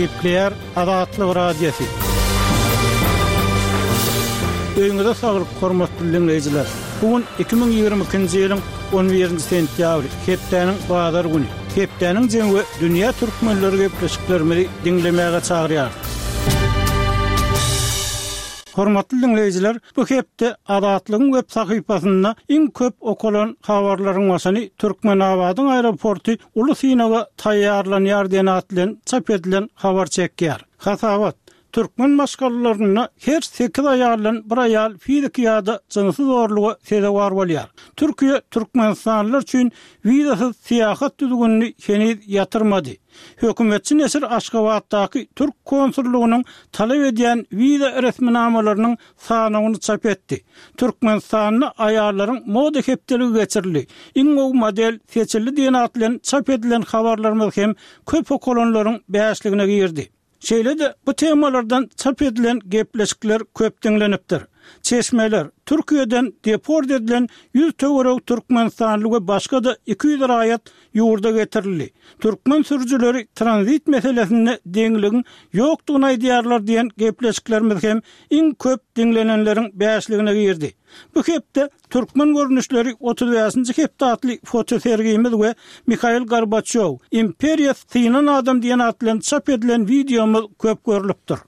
Gepleýär Azatlyk Radiosy. Öýüňize saglyk, hormatly diňleýjiler! Bu gün 2022-nji ýylyň 11-nji sentýabry, hepdäniň bazar güni. Hepdäniň jemi we dünýä türkmenleri gepleşiklerimizi diňlemäge çagyrýarys. Hormatly diňleýjiler, bu hepde Azatlygyň web sahypasynda iň köp okalan habarlaryň başyny Türkmenabadyň aeroporty uly synaga taýýarlanýar diýen at bilen çap edilen habar çekýär. Hasabat, Türkmen maşgalalarynda her sekiz aýaldan bir aýal fiziki ýa-da jynsy zorluga sezewar bolýar. Türkiýe türkmenistanlylar üçin wizasyz syýahat düzgünini heniz ýatyrmady. Hökümetçi neşir Aşgabatdaky türk konsullygynyň talap edýän wiza resminamalarynyň sanawyny çap etdi. Türkmenistanda aýallaryň moda hepdeligi geçirildi. Iň gowy model seçildi diýen at bilen çap edilen habarlarymyz hem köp okalanlaryň bäşligine girdi. Şeýle-de bu temalardan çap edilen gepleşikler köp diňlenipdir. Çeşmeler, Türkiýeden deport edilen 100 töweregi türkmenistanly we başga-da 200 raýat ýurda getirildi. Türkmen sürüjileri tranzit meselesinde deňligiň ýokdugyny aýdýarlar diýen gepleşiklerimiz hem iň köp diňlenenleriň bäşligine girdi. Bu hepde Türkmen görnüşleri 35-nji hepde atly fotosergimiz we Mihail Gorbaçýow, Imperiýa synan adam diýen at bilen çap edilen wideomyz köp görlüpdir.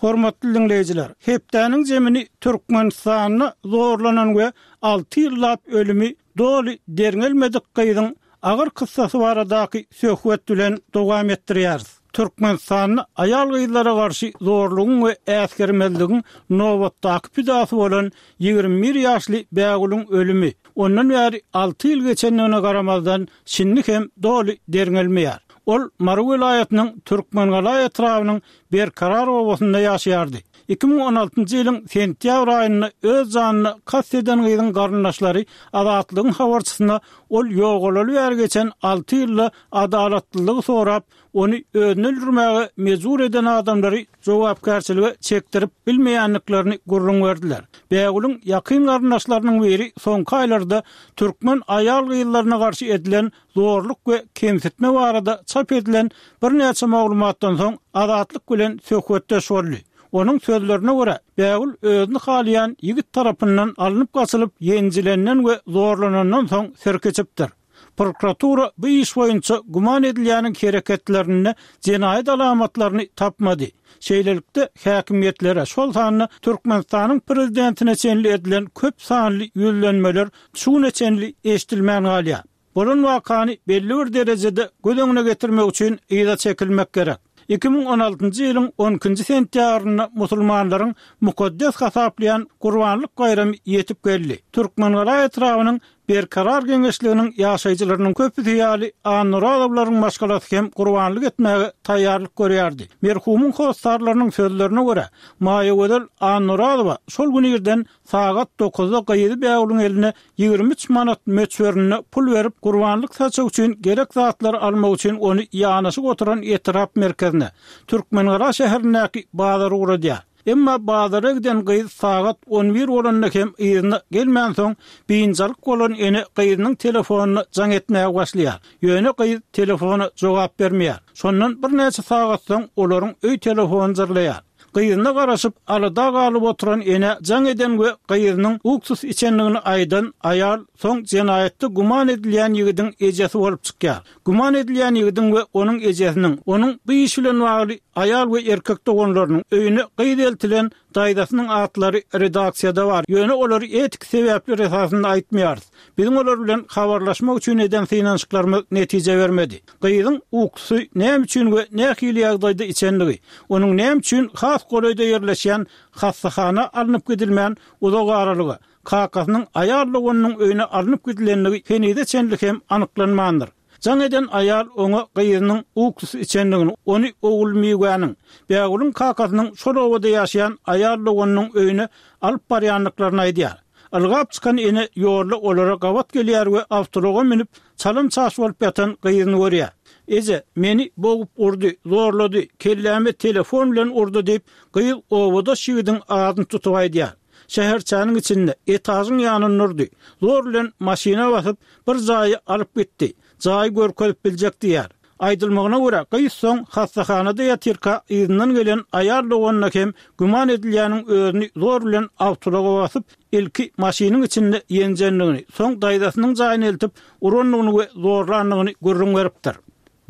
Hormatly diňleýjiler, hepdäniň jemini Türkmenistanda zorlanan we alty ýyllap ölümi doly derňelmedik gyzyň agyr kyssasy baradaky söhbet bilen dowam etdirýäris. Türkmenistanda aýal-gyzlara garşy zorlugyň we äsgermezligiň nobatdaky pidasy bolan 21 ýaşly Bägülüň ölümi, ondan bäri alty ýyl geçendigine garamazdan, şindi hem doly derňelmeýär. Ol Mary welaýatynyň Türkmengala etrabynyň Berkarar obasynda ýaşaýardy. 2016-njy ýylyň sentýabr aýynda öz janyna kast eden gyzyň garyndaşlary Azatlygyň habarçysyna ol ýogalaly bäri geçen alty ýylda adalatlylygy sorap, ony özüni öldürmäge mejbur eden adamlary jogapkärçilige çekdirip bilmeýändiklerini gürrüň berdiler. Bägülüň ýakyn garyndaşlarynyň biri soňky aýlarda türkmen aýal-gyzlaryna garşy edilen zorluk we kemsitme barada çap edilen birnäçe maglumatdan soň Azatlyk bilen söhbetdeş boldy. Onuň sözlerine görä, Bägül özüni halaýan ýigit tarapyndan alnyp gaçylyp, ýenjilenden we zorlanandan soň sirk içipdir. Prokuratura bu iş boýunça güman edilýäniň hereketlerinde jenaýat alamatlaryny tapmady. Şeýlelikde, häkimiýetlere, şol sanda Türkmenistanyň prezidentine çenli edilen köp sanly ýüzlenmeler şu güne çenli eşidilmän galýar. Bolan wakany belli bir derejede göz öňüne getirmek üçin yza çekilmek gerek. 2016-njy ýylyň on ikinji sentýabrynda musulmanlaryň mukaddes hasaplaýan Gurbanlyk baýramy ýetip geldi. Türkmengala etrabynyň Berkarar geňeşliginiň ýaşaýjylarynyň köpüsi ýaly Annarazowlaryň maşgalasy hem gurbanlyk etmäge taýýarlyk görýärdi. Merhumyň hossarlarynyň sözlerine görä, Maýagözel Annarazowa şol gün irden sagat dokuzda gyzy Bägülüň eline 23 manat möçberinde pul berip, gurbanlyk saçak üçin gerek zatlary almak üçin ony ýanaşyk oturan etrap merkezine, Türkmengala şäherindäki bazara ugradýar. Emma bazara giden gyz sagat on bir bolanda hem yzyna gelmänsoň, biynjalyk bolan ene gyzynyň telefonyna jaň etmäge başlaýar. Ýöne gyz telefona jogap bermeýär. Şondan birnäçe sagat soň olaryň öý telefony jyrlaýar. Gyzyna garaşyp, alada galyp oturan enä jaň eden we gyzynyň uksus içendigini aýdan aýal soň jenaýatda güman edilýän ýigidiň ejesi bolup çykýar. Güman edilýän ýigidiň we onuň ejesiniň, onuň bu iş bilen bagly aýal we erkek doganlarynyň, öýüne gyz eltilen daýzasynyň atlary redaksiýada bar, ýöne olary etiki sebäpler esasynda aýtmaýarys. Biziň olar bilen habarlaşmak üçin eden synanyşyklarymyz netije bermedi. Gyzyň uksusy näme üçin we nähili ýagdaýda içendigi, onuň näme üçin has golaýda ýerleşýän hassahana alnyp gidilmän uzak aralyga, kakasynyň aýal doganynyň öýüne alnyp gidilendigi henize çenli hem anyklanmandyr. Jaň eden aýal oňa gyzynyň uksus içendigini, ony Ogulmiwäniň, Bägülüň kakasynyň şol obada ýaşaýan aýal doganynyň öýüne alyp barýandyklaryny aýdýar. Ylgap çykan ene ýolda olara gabat gelýär we awtoulaga münüp, çalym-çaş bolup ýatan gyzyny görýär. Eje, meni bogup urdy, zorlady, kelläme telefon bilen urdy diýip, gyz obadaş ýigidiň adyny tutup aýdýar. Şäherçäniň içinde, etažyň ýanynda urdy. Zor bilen maşyna basyp, bir jaýa alyp gitdi. Jaýy görkezip biljek diýýär. Aýdylmagyna görä, gyz soň hassahanada ýatyrka yzyndan gelen aýal doganyna hem güman edilýäniň özüni zor bilen awtoulaga basyp, ilki maşynyň içinde ýenjendigini, soň daýzasynyň jaýyna eltip urandygyny we zorlandygyny gürrüň beripdir.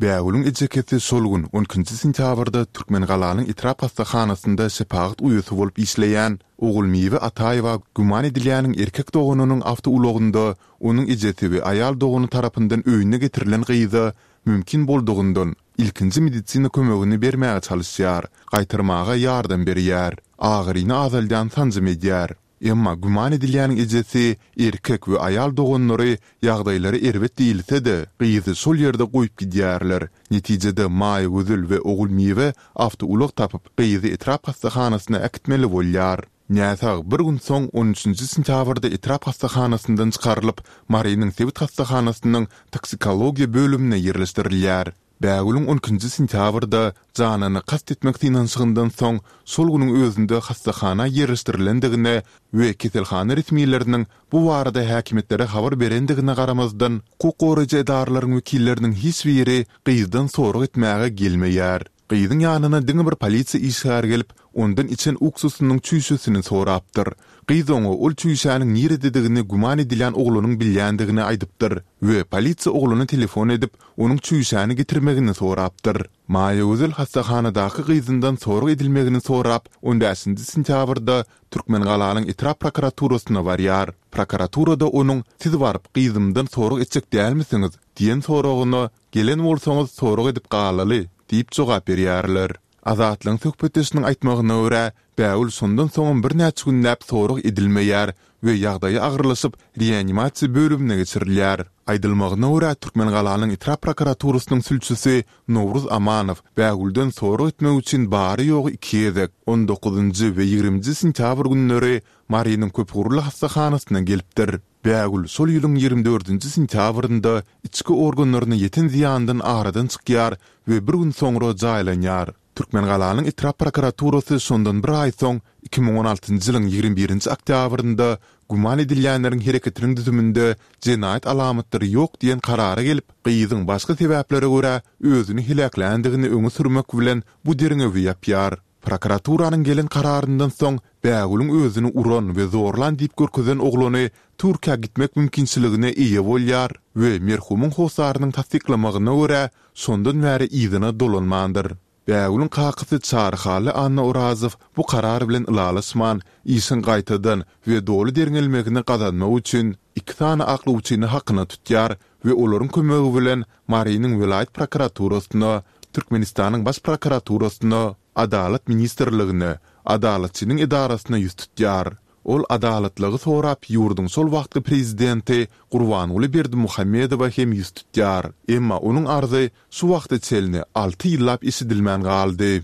Bägülüň ejekesi şol gün, on ikinji sentýabrda Türkmengalanyň etrap hassahanasynda şepagat uýasy bolup işleýän Ogulmiwe Ataýewa güman edilýäniň erkek doganynyň awtoulagynda onuň ejesi we aýal dogany tarapyndan öýüne getirilen gyza mümkin boldugyndan ilkinji medisina kömegini bermäge çalyşýar, gaýtarmaga ýardam berýär, agyryny azaldýan sanjym edýär. Emma güman edilýäniň ejesi, erkek we aýal doganlary ýagdaýlary erbet diýilse-de, gyzy şol ýerde goýup gidýärler. Netijede Maýagözel we Ogulmiwe awtoulag tapyp, gyzy etrap hassahanasyna äkitmeli bolýar. Näsag bir gün soň, on üçünji sentýabrda etrap hassahanasyndan çykarylyp, Marynyň sebit hassahanasynyň toksikologiýa bölümine ýerleşdirilýär. Bägülüň on ikinji sentýabrda janyna kast etmek synanyşygyndan soň, şol günüň özünde hassahana ýerleşdirilendigine we keselhana resmileriniň bu barada häkimiýetlere habar berendigine garamazdan, hukuk goraýjy edaralaryň wekilleriniň hiç biri gyzdan sorag etmäge gelmeýär. Gyzyň ýanyna diňe bir polisiýa işgäri gelip, ondan içen uksusynyň çüýşesini sorapdyr. Gyz oňa ol çüýşäniň nirededigini güman edilýän oglanyň bilýändigini aýdypdyr we polisiýa oglana telefon edip, onuň çüýşäni getirmegini sorapdyr. Maýagözel hassahanadaky gyzyndan sorag edilmegini sorap, on bäşinji sentýabrda Türkmengalanyň etrap prokuraturasyna barýar. Prokuraturada onuň Siz baryp, gyzymdan sorag etjek dälmisiňiz? diýen soragyna Gelen bolsaňyz sorag edip galaly, diýip jogap berýärler. Azatlygyň söhbetdeşiniň aýtmagyna görä, Bägül şondan soňam birnäçe günläp sorag edilmeýär we ýagdaýy agyrlaşyp, reanimasiýa bölümine geçirilýär. Aýdylmagyna görä, Türkmengalanyň etrap prokuraturasynyň sülçüsi Nowruz Amanow Bägülden sorag etmek üçin bary-ýogy iki gezek, on dokuzynjy we ýigriminji sentýabr günleri Marynyň köpugurly hassahanasyna gelipdir. Bägül şol ýylyň 24-nji sentýabrynda içki organlaryna ýeten zyýandan aradan çykýar we bir gün soňra jaýlanýar. Türkmengalanyň etrap prokuraturasy şondan bir aý soň, 2016-njy ýylyň 21-nji oktýabrynda güman edilýänleriň hereketiniň düzüminde jenaýat alamatlary ýok diýen karara gelip, gyzyň başga sebäplere görä özüni heläkländigini öňe sürmek bilen bu derňewi ýapýar. Prokuraturanyň gelen kararyndan soň, Bägülüň özüni uran we zorlan diýip görkezen oglany Türkiýä gitmek mümkinçiligine eýe bolýar we merhumyň hossarynyň tassyklamagyna görä, şondan bäri yzyna dolanmandyr. Bägülüň kakasy Çaryhally Annaorazow bu karar bilen ylalaşman, işiň gaýtadan we doly derňelmegini gazanmak üçin iki sany aklawçyny hakyna tutýar we olaryň kömegi bilen Marynyň welaýat prokuraturasyna, Türkmenistanyň Baş prokuraturasyna, Adalat ministrligine, Adalatçynyň edarasyna ýüz tutýar. Ol adalatlygy sorap ýurduň şol wagtky prezidenti Gurbanguly Berdimuhamedowa hem ýüz tutýar. Emma onuň arzy şu wagta çenli alty ýyllap eşidilmän galdy.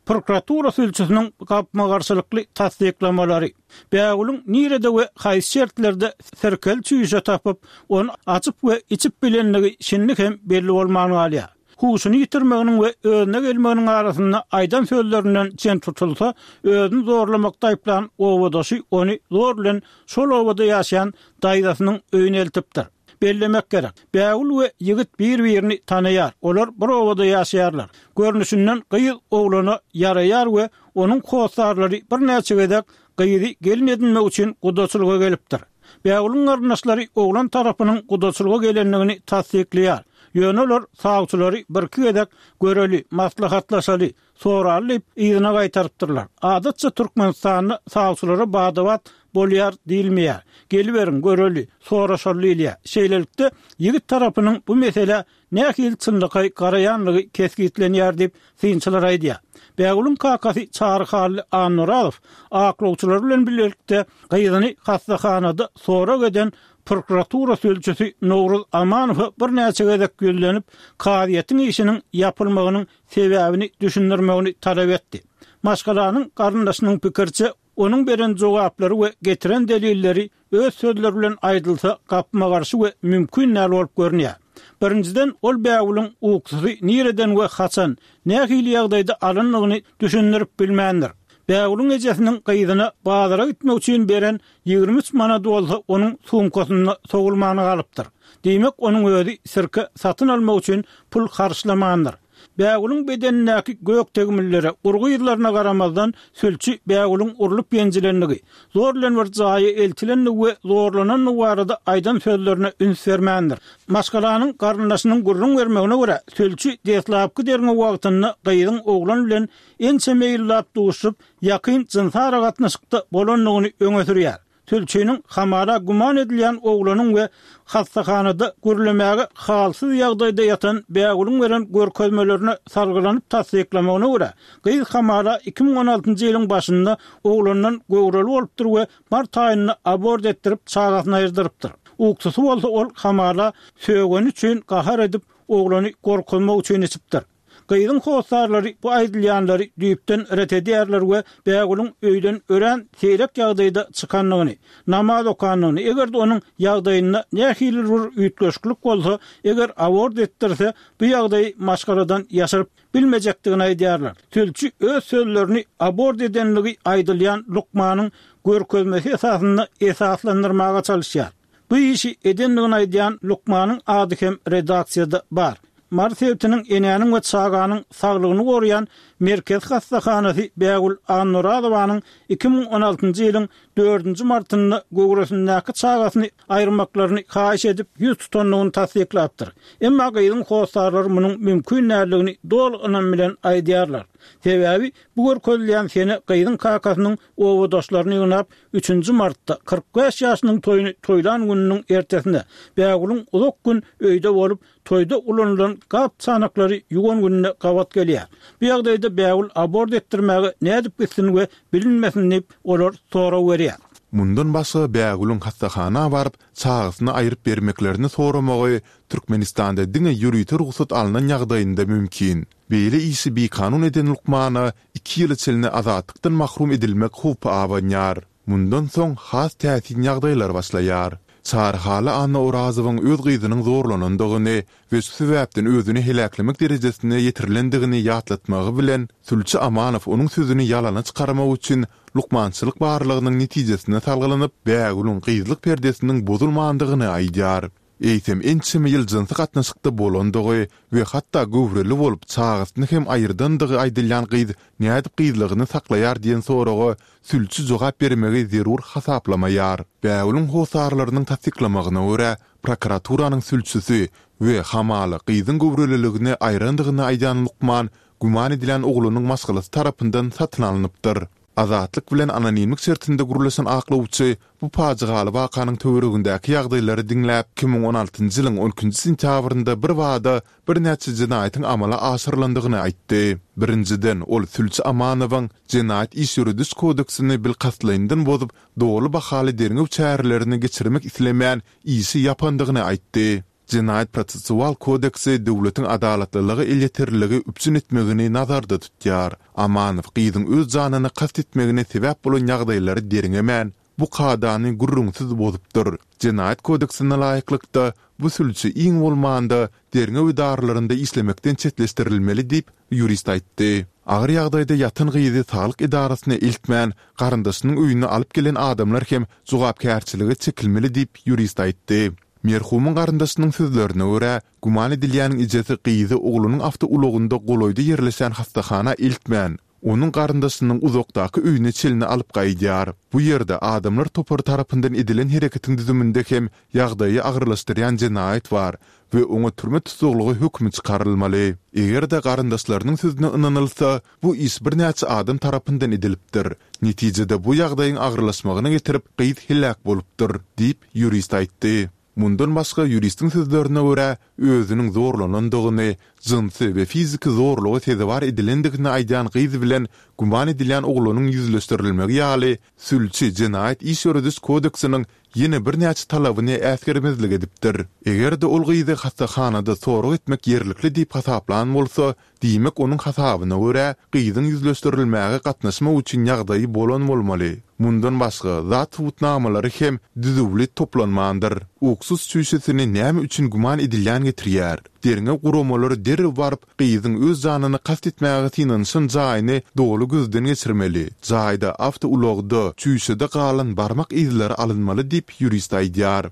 Prokuratura sülçüsiniň gapma-garşylykly tassyklamalary, Bägülüň nirede we haýsy şertlerde sirkeli çüýşe tapyp, ony açyp we içip bilendigi şindi hem belli bolman galýar. Huşuny ýitirmeginiň we özüne gelmeginiň arasynda aýdan sözlerinden çen tutulsa, özüni zorlamakda aýyplan obadaşy ony zor bilen şol obada ýaşaýan daýzasynyň öýüne eltipdir. Bellemek gerek, Bägül we ýigit bir-birini tanaýar, olar bir obada ýaşaýarlar. Görnüşinden gyz oglana ýaraýar we onuň hossarlary birnäçe gezek gyzy gelin edinmek üçin gudaçylyga gelipdir. Bägülüň garyndaşlary oglan tarapynyň gudaçylyga gelendigini tassyklaýar. Ýöne olar sawçylary birki gezek göreli, maslahatlaşaly, Soraly diýip, yzyna gaýtarypdyrlar. Adatça Türkmenistanda sawçylara bada-bat bolýar diýilmeýär. Geliberiň, göreli, soraşaly diýilýär. Şeýlelikde, ýigit tarapynyň bu meselä nähili çynlakaý garaýanlygy kesgitlenýär diýip, synçylar aýdýar. Bägülüň kakasy Çary Hally Annaorazow aklawçylary bilen bilelikde gyzyny hassahanada sorag eden prokuratura sülçüsi Nowruz Amanowa birnäçe gezek ýüzlenip, kazyýetiň işiniň ýapylmagynyň sebäbini düşündirmegini talap etdi. Maşgalanyň garyndaşynyň pikiriçe, onuň beren jogaplary we getiren delilleri öz sözleri bilen aýdylsa gapma-garşy we mümkin däl bolup görünýär. Birinjiden, ol bägülüň uksusy nireden we haçan, nähili ýagdaýda alandygyny düşündirip bilmändir. Bägüliň ejesiniň gyzyna bazara gitmek üçin beren 23 manady bolsa onuň sumkasynda sowulman galypdyr. Diýmek, onuň özi sirke satyn almak üçin pul harçlamandyr. Bägüliň bedenindäki gök tegmillere, urgy yzlaryna garamazdan, sülçi Bägüliň urlup ýenjilendigi, zor bilen bir jaýa eltilendigi we zorlanandygy barada aýdan sözlerine üns bermändir. Maşgalanyň garyndaşynyň gürrüň bermegine görä, sülçi deslapky derňew wagtynda gyzyň oglan bilen ençeme ýyllap duşup, ýakyn jynsy aragatnaşykda bolandygyny öňe sürýär. Sülçiniň hamala güman edilýän oglanyň we hassahanada gürlemäge halsyz ýagdaýda ýatan Bägüliň beren görkezmelerine salgylanyp tassyklamagyna görä, gyz hamala 2016-njy ýylyň başynda oglandan göwreli bolupdyr we mart aýynda abort etdirip çagasyny aýyrdyrypdyr. Uksusy bolsa ol hamala sögeni üçin gahar edip oglany gorkuzmak üçin içipdir. Gyzyň hossarlary bu aýdylýanlary düýpden ret edýärler we Bägülüň öýden örän seýrek ýagdaýda çykandygyny, namaz okandygyny, eger-de onuň ýagdaýynda nähilidir bir üýtgeşiklik bolsa, eger abort etdirse, bu ýagdaýy maşgaladan ýaşyryp bilmejekdigini aýdýarlar. Sülçi öz sözlerini abort edenligi aýdylýan lukmanyň görkezmesi esasynda esaslandyrmaga çalyşýar. Bu işi edendigini aýdýan lukmanyň ady hem redaksiýada bar. Mary sebitiniň Enäniň we çaganyň saglygyny goraýan merkezi hassahanasy Bägül Annaorazowanyň 2016-njy ýylyň dördünji martynda göwresindäki çagasyny aýyrmaklaryny haýyş edip ýüz tutandygyny tassyklapdyr. Emma gyzyň hossarlary munuň mümkin däldigini doly ynam bilen aýdýarlar. Sebäbi bu görkezilýän sene gyzyň kakasynyň obadaşlaryny ýygnap, Üçünji martda, 45 ýaşynyň toýuny toýlan gününiň ertesine, Bägülüň uzak gün öýde bolup, toýda ulanylan gap-çanaklary ýuwan gününe gabat gelýär. Bu ýagdaýda Bägül abort etdirmäge nädip gitsin we bilinmesin diýip, olar sorag berýär. Mundan başga Bägülüň hassahana baryp, çagasyny aýryp bermeklerini soramagy Türkmenistanda diňe ýörite rugsat alnan ýagdaýynda mümkin. Beýle işi bikanun eden lukmana iki ýyla çenli azatlykdan mahrum edilmek howpy abanýar. Mundan soň has täsin ýagdaýlar başlaýar. Çary Hally Annaorazowyň öz gyzynyň zorlanandygyny we şu sebäpden özüni heläklemek derejesine ýetirilendigini ýatlatmagy bilen, sülçi Amanow onuň sözüni ýalana çykarmak üçin lukmançylyk barlagynyň netijesine salgylanyp, Bägülüň gyzlyk perdesiniň bozulmandygyny aýdýar. Eýsem ençeme ýyl jynsy gatnaşykda bolandygy we hatda göwreli bolup çagasyny hem aýyrdandygy aýdylýan gyz nädip gyzlygyny saklaýar diýen soraga sülçi jogap bermegi zerur hasaplamaýar. Bägülüň hossarlarynyň tassyklamagyna görä, prokuraturanyň sülçüsi we hamala gyzyň göwreliligini aýrandygyny aýdýan lukman güman edilýän oglanyň maşgalasy tarapyndan satyn alnypdyr. Azatlyk bilen anonimlik şertinde gürleşen aklawçy bu pajygaly wakanyň töweregindäki ýagdaýlary diňläp, 2016-njy ýylyň on ikinji sentýabrynda birbada birnäçe jenaýatyň amala aşyrylandygyny aýtdy. Birinjiden, ol sülçi Amanowyň Jenaýat iş ýörediş kodeksini bilkastlaýyndan bozup, doly bahaly derňew çärelerini geçirmek islemän, işi ýapandygyny aýtdy. Jenaýat-prosessual kodeksi döwletiň adalatlylyga elýeterliligi üpjün etmegini nazarda tutýar. Amanow gyzyň öz janyna kast etmegine sebäp bolan ýagdaýlary derňemän, bu kadany gürrüňsiz bozupdyr. Jenaýat kodeksine laýyklykda, bu sülçi iň bolmanda derňew edaralarynda işlemekden çetleşdirilmeli diýip, ýurist aýtdy. Agyr ýagdaýda ýatan gyzy saglyk edarasyna eltmän, garyndaşynyň öýüne alyp gelen adamlar hem jogapkärçilige çekilmeli diýip, ýurist aýtdy. Merhumyň garyndaşynyň sözlerine görä, güman edilýäniň ejesi gyzy oglunyň awtoulagynda golaýda ýerleşen hassahana eltmän, onuň garyndaşynyň uzakdaky öýüne çenli alyp gaýdýar. Bu ýerde adamlar topary tarapyndan edilen hereketiň düzüminde hem ýagdaýy agyrlaşdyrýan jenaýat bar we oňa türme tussaglygy hökümi çykarylmaly. Eger-de garyndaşlarynyň sözüne ynanylsa, bu iş birnäçe adam tarapyndan edilipdir. Netijede bu ýagdaýyň agyrlaşmagyna getirip, gyz heläk bolupdyr, diýip, ýurist aýtdy. Mundan başga, ýuristiň sözlerine görä, özüniň zorlanandygyny, jynsy we fiziki zorluga sezewar edilendigini aýdýan gyz bilen güman edilýän oglanyň ýüzleşdirilmegi ýaly, sülçi Jenaýat iş ýörediş kodeksiniň ýene birnäçe talabyny äsgermezlik edipdir. Eger-de ol gyzy hassahanada sorag etmek ýerlikli diýip hasaplan bolsa, diýmek onuň hasabyna görä, gyzyň ýüzleşdirilmäge gatnaşmak üçin ýagdaýy bolan bolmaly. Mundan başga, zat subutnamalary hem düzüwli toplanmandyr. Uksus çüýşesini näme üçin güman edilýän getirýär? Derňew guramalary derrew baryp, gyzyň öz janyna kast etmäge synanyşan jaýyny doly gözden geçirmeli. Jaýda, awtoulagda, çüýşede galan barmak yzlary alynmaly diýip, ýurist aýdýar.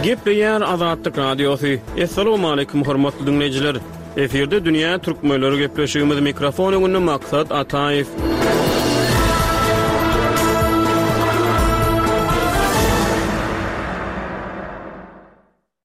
Gepleýär Azatlyk Radiosy. Assalamualaikum hormatly dinleýjiler. Efirde dünýä türkmenleri gepleşigimiz mikrofon öňünde Maksat Ataýew.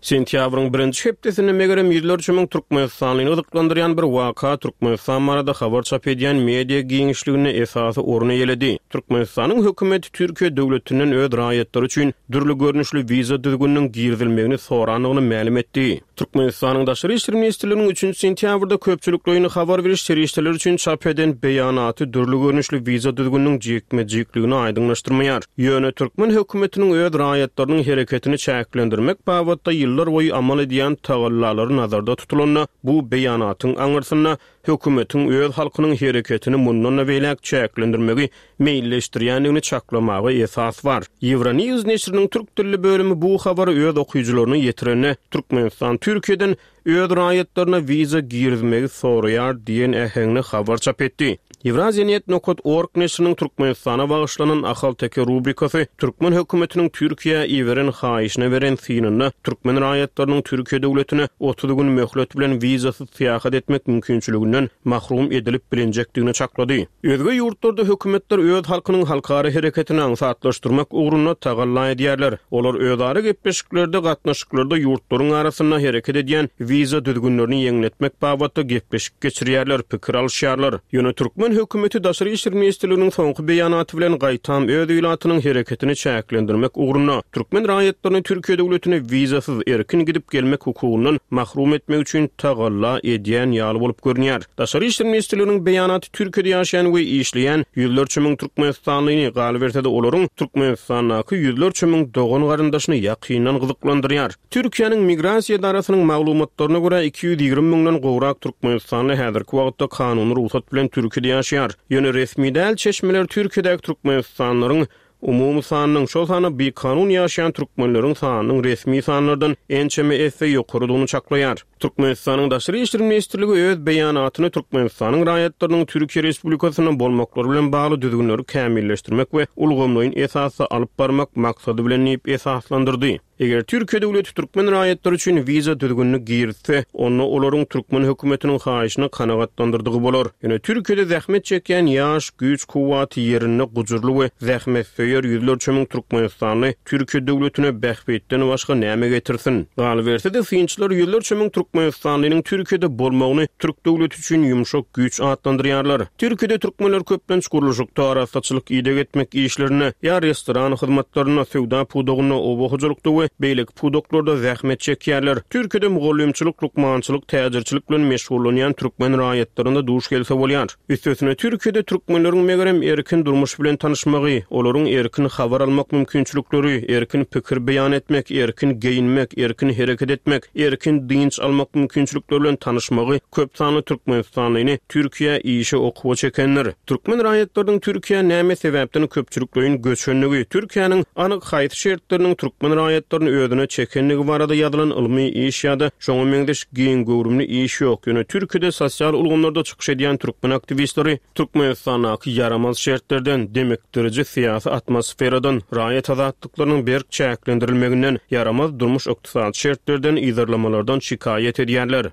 Sentýabryň birinji hepdesinde megerem ýüzlerçe müň türkmenistanlyny gyzyklandyrýan bir waka Türkmenistan barada habar çap edýän media giňişliginde esasy orun eýeledi. Türkmenistanyň hökümeti Türkiýe döwletinden öz raýatlary üçin dürli görnüşli wiza düzgüniniň girizilmegini sorandygyny mälim etdi. Türkmenistanyň Daşary işler ministrliginiň üçünji sentýabrda köpçülikleýin habar beriş serişdeleri üçin çap eden beýanaty dürli görnüşli wiza düzgüniniň jikme-jikligini aýdyňlaşdyrmaýar. Ýöne türkmen hökümetiniň öz raýatlarynyň hereketini çäklendirmek babatda ýyllarboýy amal edýän tagallalary nazarda tutulanda, bu beýanatyň aňyrsynda hökümetiň öz halkynyň hereketini mundan-da beýläk çäklendirmegi meýilleşdirýändigini çaklamaga esas bar. Euronews neşiriniň türk dilli bölümi bu habary öz okyjylaryna ýetirende, Türkmenistan Türkiýeden öz raýatlaryna wiza girizmegi soraýar diýen äheňde habar çap etdi. Eurasianet nokat org neşiriniň Türkmenistana bagyşlanan Ahalteke rubrikasy türkmen hökümetiniň Türkiýä iberen haýyşyna beren synynda türkmen raýatlarynyň Türkiýe döwletine 30 gün möhlet bilen wizasyz syýahat etmek mümkinçiliginden mahrum edilip bilinjekdigini çaklady. Özge ýurtlarda hökümetler öz halkynyň halkara hereketini aňsatlaşdyrmak ugrunda tagalla edýärler. Olar özara gepleşiklerde, gatnaşyklarda ýurtlaryň arasynda hereket edýän wiza düzgünlerini ýeňletmek babatda gepleşik geçirýärler, pikir alyşýarlar. Ýöne türkmen hökümeti Daşary işler ministrliginiň soňky beýanaty bilen gaýtam öz ilatynyň hereketini çäklendirmek ugrunda, türkmen raýatlaryny Türkiýe döwletine wizasyz erkin gidip-gelmek hukugyndan mahrum etmek üçin tagalla edýän ýaly bolup görünýär. Daşary işler ministrliginiň beýanaty Türkiýede ýaşaýan we işleýän ýüzlerçe müň türkmenistanlyny, galyberse-de olaryň Türkmenistandaky ýüzlerçe müň dogan-garyndaşyny ýakyndan gyzyklandyrýar. Türkiýäniň Migrasiýa edarasynyň maglumatlaryna görä, 220 müňden gowrak türkmenistanly häzirki wagtda kanuny rugsat bilen Türkiýede ýaşaýar. Ýöne resmi däl çeşmeler Türkiýedäki türkmenistanlylaryň Umumy sanynyň, şol sanda bikanun ýaşaýan türkmenleriň sanynyň resmi sanlardan ençeme esse ýokarydygyny çaklaýar. Türkmenistanyň Daşary işler ministrligi öz beýanatyny Türkmenistanyň raýatlarynyň Türkiýe Respublikasynda bolmaklary bilen bagly düzgünleri kämilleşdirmek we ulgamlaýyn esasda alyp barmak maksady bilen diýip esaslandyrdy. Eger Türkiýe döwleti türkmen raýatlary üçin wiza düzgünini girizse, onda olaryň türkmen hökümetiniň haýyşyny kanagatlandyrdygy bolar. Ýöne Türkiýede zähmet çekýän ýaş, güýç-kuwwaty ýerinde gujurly we zähmetsöýer ýüzlerçe müň türkmenistanly Türkiýe döwletine bähbitden başga näme getirsin? Galyberse-de, synçylar ýüzlerçe müň türkmenistanlynyň Türkiýede bolmagyny türk döwleti üçin ýumşak güýç atlandyrýarlar. Türkiýede türkmenler köplenç gurluşykda, arassaçylyk, ideg etmek işlerinde ýa restoran hyzmatlarynda, söwda pudagynda, oba hojalykda we beýleki pudaklarda zähmet çekýärler. Türkiýede mugallymçylyk, lukmançylyk, täjirçilik bilen meşgullanýan türkmen raýatlaryna duş gelse bolýar. Üstesine Türkiýede türkmenleriň megerem erkin durmuş bilen tanyşmagy, olaryň erkin habar almak mümkinçilikleri, erkin pikir beýan etmek, erkin geýinmek, erkin hereket etmek, erkin dynç almak mümkinçilikleri bilen tanyşmagy köp sanly türkmenistanlyny Türkiýä işe, okuwa çekendir. Türkmen raýatlarynyň Türkiýä näme sebäpden köpçülikleýin göçendigi, Türkiýäniň anyk haýsy şertleriniň türkmen raýatlaryny özüne çekendigi barada ýazylan ylmy iş ýa-da şoňa meňzeş giň göwrümli iş ýok. Ýöne Türkiýede sosial ulgamlarda çykyş edýän türkmen aktiwistleri Türkmenistandaky ýaramaz şertlerden, demikdiriji syýasy atmosferadan, raýat azatlyklarynyň berk çäklendirilmeginden, ýaramaz durmuş-ykdysady şertlerden, yzarlamalardan şikaýat edýärler.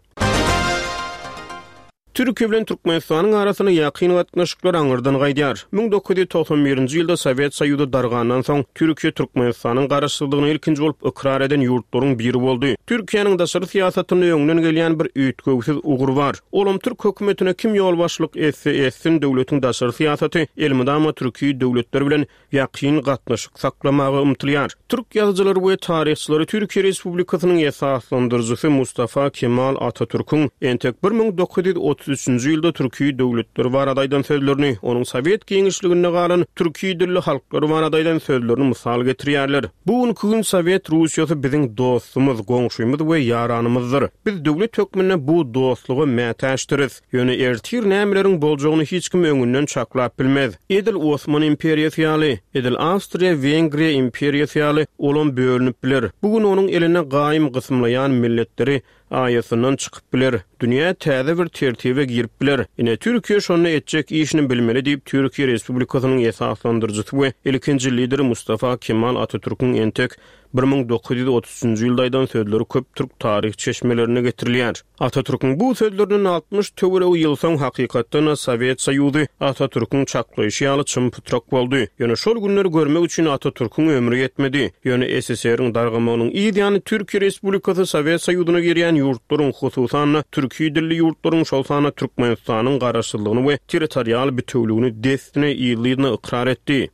Türkiýe bilen Türkmenistanyň arasynda ýakyn gatnaşyklar aňyrdan gaýdýar. 1991-nji ýylda Sowet Soýuzy dargandan soň, Türkiýe Türkmenistanyň garaşsyzlygyny ilkinji bolup ykrar eden ýurtlaryň biri boldy. Türkiýäniň daşary syýasatynda öňden gelýän bir üýtgewsiz ugur bar. Olam türk hökümetine kim ýolbaşçylyk etse etsin, döwletiň daşary syýasaty elmydama türki döwletler bilen ýakyn gatnaşyk saklamaga ymtylýar. Türk ýazyjylary we taryhçylary Türkiýe Respublikasynyň esaslandyryjysy Mustafa Kemal Atatürküň entek 1930. 1933-nji ýylda türki döwletler barada aýdan sözlerini, onuň sowet giňişliginde galan türki dilli halklar barada aýdan sözlerini mysal getirýärler. Bu günki gün Sowet Russiýasy biziň dostumyz, goňşymyz we ýaranymyzdyr. Biz döwlet hökmünde bu dostluga mätäçdiris. Ýöne ertir nämeleriň boljagyny hiç kim öňünden çaklap bilmez. Edil Osman imperiýasy ýaly, edil Awstriýa-Wengriýa imperiýasy ýaly olam bölünip biler. Bu gün onuň eline gaýym gysymlaýan milletleri aýasyndan çykyp biler. Dünýä täze bir tertibe girip biler. Ine, Türkiýe şonda etjek işini bilmeli diýip, Türkiýe Respublikasynyň esaslandyryjysy we ilkinji lideri Mustafa Kemal Atatürküň entek 1933-nji ýylda aýdan sözleri köp türk taryh çeşmelerinde getirilýär. Atatürküň bu sözlerinden 60 töweregi ýyl soň hakykatdan-da Sowet Soýuzy Atatürküň çaklaýşy ýaly çym-pytrak boldy. Ýöne şol günleri görmek üçin Atatürküň ömri ýetmedi. Ýöne SSR-iň dargamagynyň yz ýany Türkiýe Respublikasy Sowet Soýuzyna girýän ýurtlaryň, hususan-da, türki dilli ýurtlaryň, şol sanda Türkmenistanyň garaşsyzlygyny we territorial bitewüligini dessine yzly-yzyna ykrar etdi.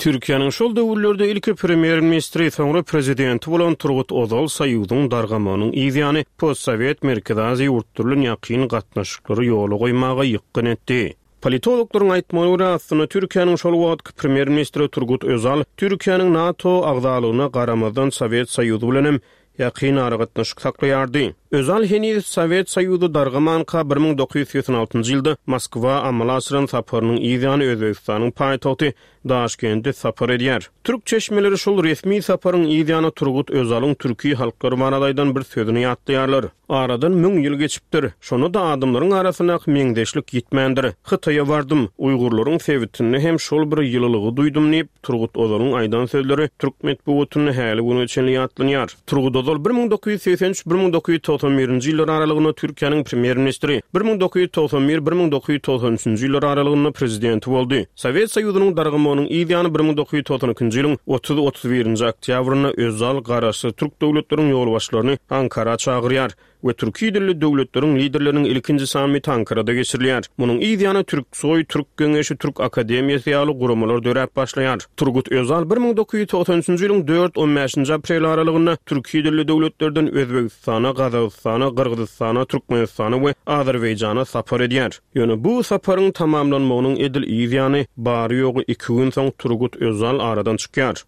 Türkiýäniň şol döwürlerde ilki premýer-ministri, soňra prezidenti bolan Turgut Ozal Soýuzyň dargamagynyň yz ýany postsowet Merkezi Aziýa ýurtlary bilen ýakyn gatnaşyklary ýola goýmaga ýykgyn etdi. Politologlaryň aýtmagyna görä, aslynda Türkiýäniň şol wagtky premýer-ministri Turgut Özal Türkiýäniň NATO agzalygyna garamazdan Sowet Soýuzy bilenem ýakyn aragatnaşyk saklaýardy. Özal heniz Sowet Soýuzy dargamanka 1986-njy ýylda Moskwa amala aşyran saparynyň yz ýany Özbegistanyň paýtagty Daşkende sapar edýär. Türk çeşmeleri şol resmi saparyň yz ýany Turgut Özalyň türki halklar barada aýdan bir sözüni ýatlaýarlar. Aradan müň ýyl geçipdir. Şonda-da adamlaryň arasyndaky meňzeşlik ýitmändir. Hytaýa bardym. Uýgurlaryň sebitinde hem şol bir ýylylygy duýdum diýip, Turgut Ozalyň aýdan sözleri türk metbugatynda häli güne çenli ýatlanýar. Turgut Ozal 1983, 1991-nji ýyllar aralygynda Türkiýäniň premýer-ministri, 1991, 1993-nji ýyllar aralygynda prezidenti boldy. Sowet Soýuzynyň dargamagynyň yz ýany 1992-nji ýylyň otuz, 31-nji oktýabrynda Özal garaşsyz türk döwletleriň ýolbaşçylaryny Ankara çagyrýar. We türki dilli döwletleriň liderleriniň ilkinji sammiti Ankarada geçirilýär. Munuň yz ýany Türksoý, Türk geňeşi, Türk akademiýasy ýaly guramalar döräp başlaýar. Turgut Özal 1993-nji ýylyň dört, on bäşinji apreli aralygynda türki dilli döwletlerden Özbegistana, Gazagystana, Gyrgyzystana, Türkmenistana we Azerbaýjana sapar edýär. Ýöne bu saparyň tamamlanmagynyň edil yz ýany, bary-ýogy iki gün soň Turgut Özal aradan çykýar.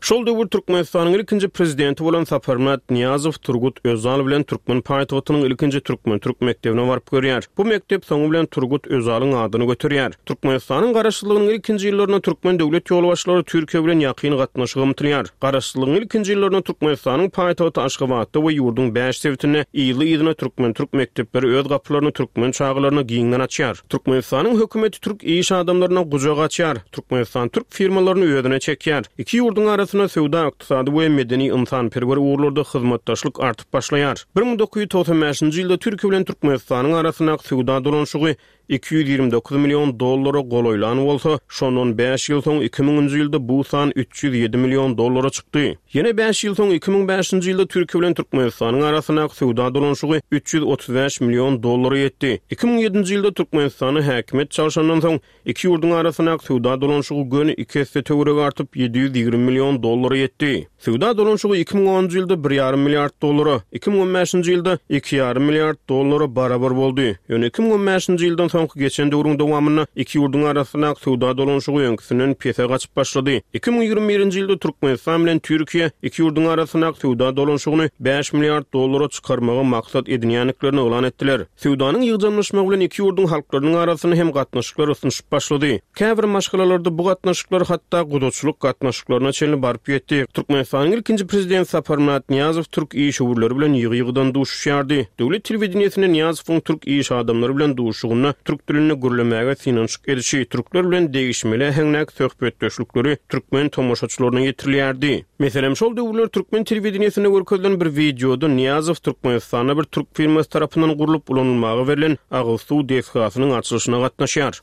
Şol döwür Türkmenistanyň ilkinji Prezidenti bolan Saparmyrat Nyýazow Turgut Özal bilen türkmen paýtagtynyň ilkinji türkmen-türk mekdebine baryp görýär. Bu mekdep soňy bilen Turgut Özalyň adyny göterýär. Türkmenistanyň Garaşsyzlygynyň ilkinji ýyllarynda türkmen döwlet ýolbaşçylary Türkiýe bilen ýakyn gatnaşyga ymtylýar. Garaşsyzlygyň ilkinji ýyllarynda Türkmenistanyň paýtagty Aşgabatda we ýurduň bäş sebitinde yzly-yzyna türkmen-türk mekdepleri öz gapylaryny türkmen çagalaryna giňden açýar. Türkmenistanyň hökümeti türk iş adamlaryna gujak açýar. Türkmenistan türk firmalaryny özüne çekýär. Iki ýurduň arasynda söwda-ykdysady we medeni-ynsanperwer ugurlarda hyzmatdaşlyk artyp başlaýar. 1995-nji ýylda Türkiýe bilen Türkmenistanyň arasyndaky söwda dolanyşygy 229 million dollara golaýlan bolsa, şondan bäş ýyl soň iki müňünji ýylda bu san 307 million dollara çykdy. Ýene bäş ýyl soň, 2005-nji ýylda Türkiýe bilen Türkmenistanyň arasyndaky söwda dolanyşygy 335 million dollara ýetdi. 2007-nji ýylda Türkmenistanda häkimiýet çalşandan soň, Iki ýurduň arasyndaky söwda dolanyşygy göni iki esse töweregi artyp, 720 million dollara ýetdi. Söwda dolanyşygy 2010-njy ýylda bir ýarym milliard dollara, 2015-nji ýylda iki ýarym milliard dollara barabar boldy. Ýöne 2015-nji ýyldan soňky geçen döwrüň dowamynda iki ýurduň arasyndaky söwda dolanyşygy öňküsinden pese gaçyp başlady. 2021-nji ýylda Türkmenistan bilen Türkiýe iki ýurduň arasyndaky söwda dolanyşygyny bäş milliard dollara çykarmagy maksat edinýändiklerini yglan etdiler. Söwdanyň ýygjamlaşmagy bilen iki ýurduň halklarynyň arasynda hem gatnaşyklar ysnyşyp başlady. Käbir maşgalalarda bu gatnaşyklar hatda gudaçylyk gatnaşyklaryna çenli baryp ýetdi. Türkmenistanyň ilkinji Prezidenti Saparmyrat Nyýazow türk işewürleri bilen ýygy-ýygydan duşuşýardy. Döwlet telewideniýesinde Nyýazowyň türk iş adamlary bilen duşuşygynda türk dilinde gürlemäge synanyşyk edişi, türkler bilen degişmeli äheňdäki söhbetdeşlikleri türkmen tomaşaçylaryna ýetirilýärdi. Meselem, şol döwürler türkmen telewideniýesinde görkezilen bir wideoda Nyýazow Türkmenistanda bir türk firmasy tarapyndan gurlup ulanylmaga berlen agyz suw desgasynyň açylyşyna gatnaşýar.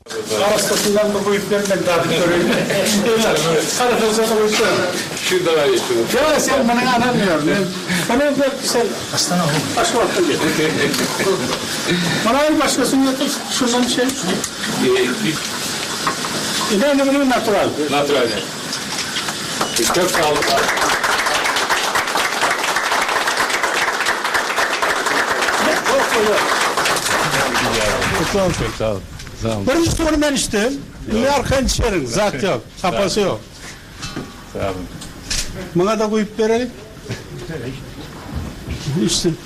Arassasyndan bir guýup bermeli dadyp göreýin. Arassasyny guýup ber. Ýa sen muny alamýar. Men muny ber sen Aşgabatdan gel. Muny al başgasyny getir şundan şey. Ine indi muny natural. Natural. Köp sag boluň. Gutly olsun. Sag ol. Sag ol. Birinji suwuny men içdim. Indi arkaýyn içerin. Zat ýok. Hapasy ýok. Sag boluň. Muňa-da guýup bereýin. Içsin.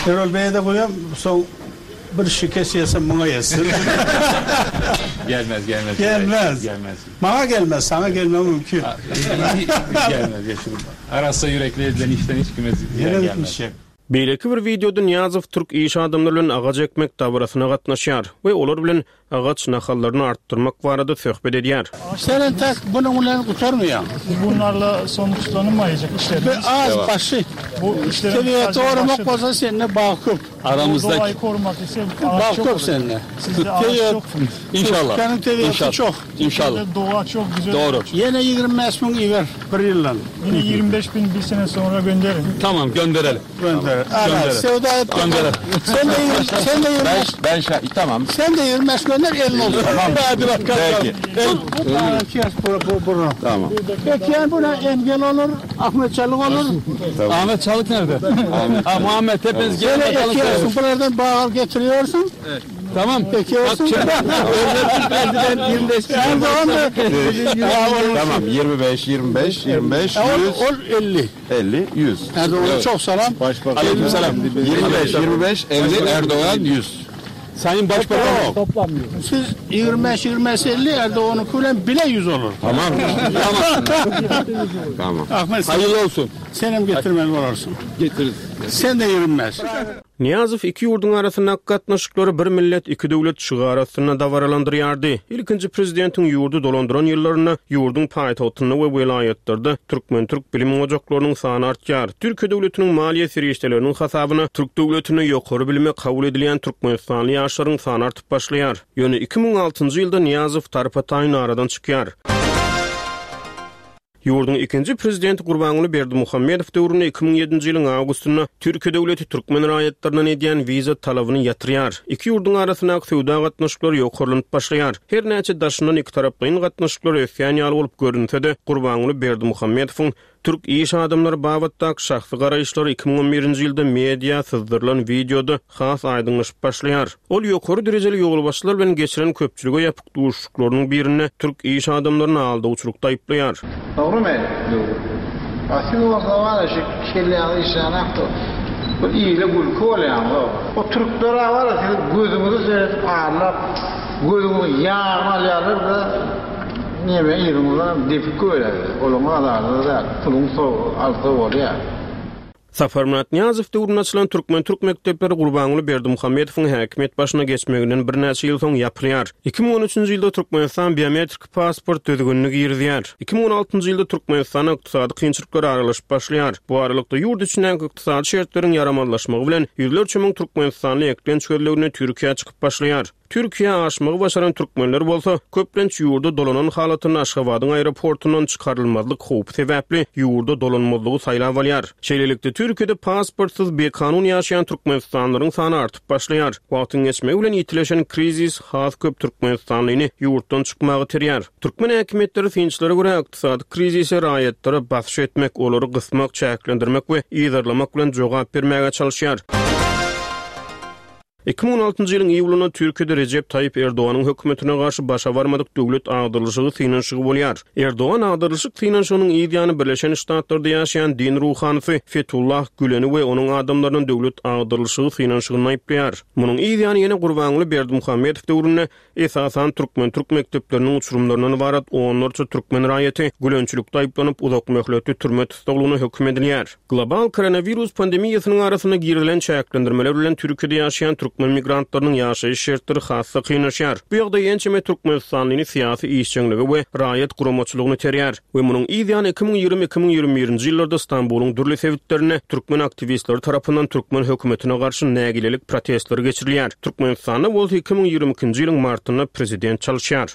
Erol beýe-de guýam, soň bir şikes ýesem muňa ýetsin. Gelmez, gelmez. Gelmez. Gelmez. Maňa gelmez, saňa gelmegi mümkin. Gelmez, geçirim. Arassa ýürekli edilen işden hiç kime zyýan gelmez. Beýleki bir wideoda Nyýazow türk iş adamlary bilen agaç ekmek dabarasyna gatnaşýar we olar bilen agaç nahallaryny artdyrmak barada söhbet edýär. Sen entek bunuň bilen gutarmaýaň. Bunlarla sonuçlanmaýjak işlerimiz. Bu az başy. Bu işleriň Tebigaty goramak bolsa sende bag köp. Aramyzda Doğayı korumak ise ağaç Bag çok köp olur. sende. Sizde ağaç Tebigat çok. İnşallah. Türkmeniň tebigaty İnşallah. çok. İnşallah. Türkiye'de doğa çok güzel. Doğru. Ýene 25 müň iber bir ýyldan. Yine 25 bin bir sene sonra gönderin. Tamam gönderelim. Gönder. Ana, Gönderin. söwda et. Gönderin. Sen de 20, sen de 25, Ben şa tamam. sen de 25 gönder elin olsun. Tamam. Hadi bakalım. Peki. Bu bu kes bu bu bunu. Tamam. Peki buna engel olur, Ahmet Çalık olur. Ahmet Çalık nerede? Ha, Muhammed hepiniz gelin Böyle bakalım. ekiyorsun, buradan bağ getiriyorsun. Tamam. Ekiyorsun. Prezident 25 Erdoğan da Tamam 25 25 25 100 ol 50. 50 100. Erdoğan'a çok selam. Aleykümselam. 25 25 50 Erdoğan 100. Sayın Başbakan. Siz 25 25 50 Erdoğan'ın kulen bile 100 olur. Tamam. Tamam. Ahmet sen, Hayırlı olsun. senem getirmeli olursun. Getiririz. Sen de 25. Nyýazow iki ýurduň arasyndaky gatnaşyklary bir millet, iki döwlet şygary astynda dabaralandyrýardy. Ilkinji prezidentiň ýurdy dolandyran ýyllarynda ýurduň paýtagtynda we welaýatlarda türkmen-türk bilim ojaklarynyň sany artýar. Türkiýe döwletiniň maliýe serişdeleriniň hasabyna türk döwletinde ýokary bilime kabul edilýän türkmenistanly ýaşlaryň sany artyp başlaýar. Ýöne 2006-njy ýylda Nyýazow tarpa-taýyn aradan çykýar. Ýurduň ikinji prezidenti Gurbanguly Berdimuhamedow döwründe 2007-nji ýylyň awgustynda Türkiýe döwleti türkmen raýatlaryndan edýän wiza talabyny ýatyrýar. Iki ýurduň arasyndaky söwda gatnaşyklary ýokarlanyp başlaýar. Her näçe daşyndan ikitaraplaýyn gatnaşyklar ösýän ýaly bolup görünse-de, Gurbanguly Berdimuhamedowyň türk iş adamlary babatdaky şahsy garaýyşlary 2011-nji ýylda media syzdyrylan wideoda has aýdyňlaşyp başlaýar. Ol ýokary derejeli ýolbaşçylar bilen geçiren köpçülige ýapyk duşuşyklarynyň birinde türk iş adamlaryny aldawçylykda aýyplaýar. Dogrymy? Dogry. A siz bolsa bar-a şu kelläňiz işlänakda bir ile gülki bolýaňyz-ow. O türkler-ä bar-a siziň gözüňize seredip aldap, gözüňiziň ýagyny alýarlar-da, neme yzyňyzdanam depip goýberýärler. Olaryň azary-da däl, puluňy alsa bolýar. Saparmyrat Nyýazow döwründe açylan türkmen-türk mekdepleri Gurbanguly Berdimuhamedowyň häkimiýet başyna geçmeginden birnäçe ýyl soň ýapylýar. 2013-nji ýylda Türkmenistan biometrik pasport düzgünini girizýär. 2016-njy ýylda Türkmenistana ykdysady kynçylyklar aralaşyp başlaýar. Bu aralykda ýurt içindäki ykdysady şertleriň ýaramazlaşmagy bilen ýüzlerçe müň türkmenistanly eklenç gözleginde Türkiýä çykyp başlaýar. Türkiýä aşmagy başaran türkmenler bolsa, köplenç ýurda dolanan halatynda Aşgabadyň aeroportundan çykarylmazlyk howpy sebäpli ýurda dolanmazlygy saýlap alýar. Şeýlelikde, Türkiýede pasportsyz bikanun ýaşaýan türkmenistanlylaryň sany artyp başlaýar. Wagtyň geçmegi bilen ýitileşen krizis has köp türkmenistanlyny ýurtdan çykmaga iterýär. Türkmen häkimiýetleri synçylara görä, ykdysady krizise raýatlara basyş etmek, olary gysmak, çäklendirmek we yzarlamak bilen jogap bermäge çalyşýar. 2016-njy ýylyň iýulynda Türkiýede Rejep Taýyp Erdoganyň hökümetine garşy başa barmadyk döwlet agdarylyşygy synanyşygy bolýar. Erdogan agdarylyşyk synanyşygynyň yz ýany Birleşen Ştatlarda ýaşaýan din ruhanysy Fetullah Güleni we onuň adamlaryny döwlet agdarylyşygy synanyşygynda aýyplaýar. Munuň yz ýany ýene Gurbanguly Berdimuhamedow döwründe Esasan türkmen-türk mekdepleriniň uçurymlaryndan ybarat onlarça türkmen raýaty gülençilikde aýyplanyp, uzak möhletli türme tussaglygyna höküm edilýär. Global koronawirus pandemiýasynyň arasynda girizilen çäklendirmeler bilen Türkiýede ýaşaýan türkmen migrantlarynyň ýaşaýyş şertleri has-da kynlaşýar. Bu ýagdaý ençeme türkmenistanlyny syýasy işjeňlige we raýat guramaçylygyna iterýär. We munuň yz ýany 2020, 2021-nji ýyllarda Stambulyň dürli sebitlerinde türkmen aktiwistleri tarapyndan türkmen hökümetine garşy nägilelik protestleri geçirilýär. Türkmenistanda bolsa 2022-nji ýylyň martynda prezident çalyşýar.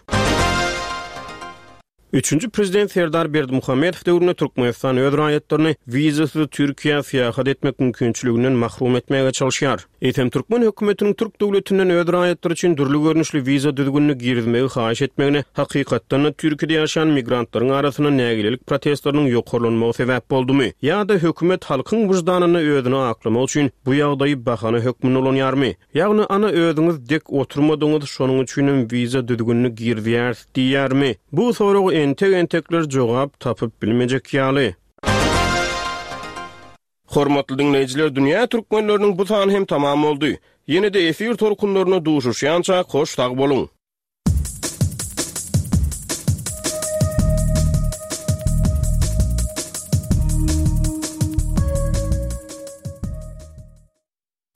Üçünji prezident Serdar Berdimuhamedow döwründe Türkmenistan öz raýatlaryny wizasyz Türkiýä syýahat etmek mümkinçiliginden mahrum etmäge çalyşýar. Eýsem, türkmen hökümetiniň türk döwletinden öz raýatlary üçin dürli görnüşli wiza düzgünini girizmegi haýyş etmegine hakykatdan-da Türkiýede ýaşaýan migrantlaryň arasynda nägilelik protestleriniň ýokarlanmagy sebäp boldumy? Ýa-da hökümet halkyň wyždanynda özüni aklamak üçin bu ýagdaýy bahana hökmünde ulanýarmy? Ýagny ana özüňiz dek oturmadyňyz şonuň üçinem wiza düzgünini girizýäris diýýärmi? Bu soraga entek-entekler jogap tapyp bilmejek ýaly. Hormatly diňleýjiler Dünýä Türkmenleriniň bu sany hem tamam boldy. Ýene-de efir tolkunlarynda duşuşýançak hoş sag boluň!